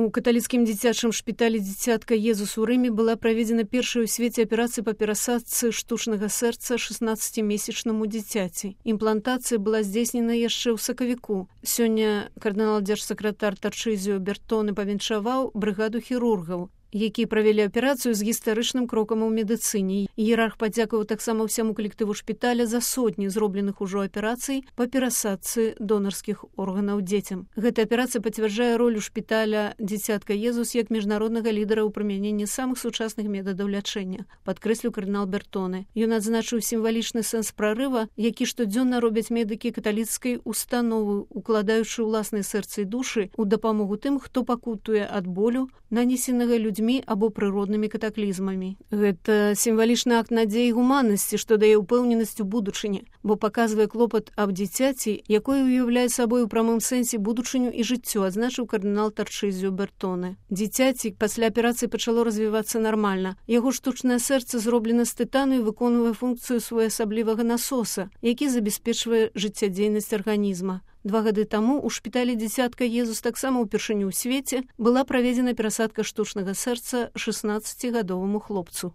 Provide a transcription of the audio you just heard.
У каталіцкім дзіцячым шпіталі «Дзіцятка Езус» у Рыме была праведзена першая ў свеце аперацыя па перасадцы штучнага сэрца 16-месячнаму дзіцяці. Імплантацыя была здзейснена яшчэ ў сакавіку. Сёння кардынал-дзяржсакратар Тарчызіо Бертоне павіншаваў брыгаду хірургаў, якія правялі аперацыю з гістарычным крокам у медыцыне. Іерарх падзякаваў таксама ўсяму калектыву шпіталя за сотні зробленых ужо аперацый па перасадцы донарскіх органаў дзецям. Гэта аперацыя пацвярджае ролю шпіталя «Дзіцятка Езус» як міжнароднага лідара ў прымяненні самых сучасных метадаў лячэння, падкрэсліў кардынал Бертоне. Ён адзначыў сімвалічны сэнс прарыва, які штодзённа робяць медыкі каталіцкай установы, укладаючы ўласныя сэрцы і душы ў дапамогу тым, хто пакутуе ад болю, нанесенага людзьмі або прыроднымі катаклізмамі. Гэта сімвалічны акт надзеі і гуманнасці, што дае ўпэўненасць у будучыні, бо паказвае клопат аб дзіцяці, якое ўяўляе сабой у прамым сэнсе будучыню і жыццё, адзначыў кардынал Тарчызіо Бертоне. Дзіцяці пасля аперацыі пачало развівацца нармальна. Яго штучнае сэрца зроблена з тытану і выконвае функцыю своеасаблівага насоса, які забяспечвае жыццядзейнасць арганізма. 2 гады таму ў шпіталі «Дзіцятка Езус» таксама ўпершыню ў свеце была праведзена перасадка штучнага сэрца 16-гадоваму хлопцу.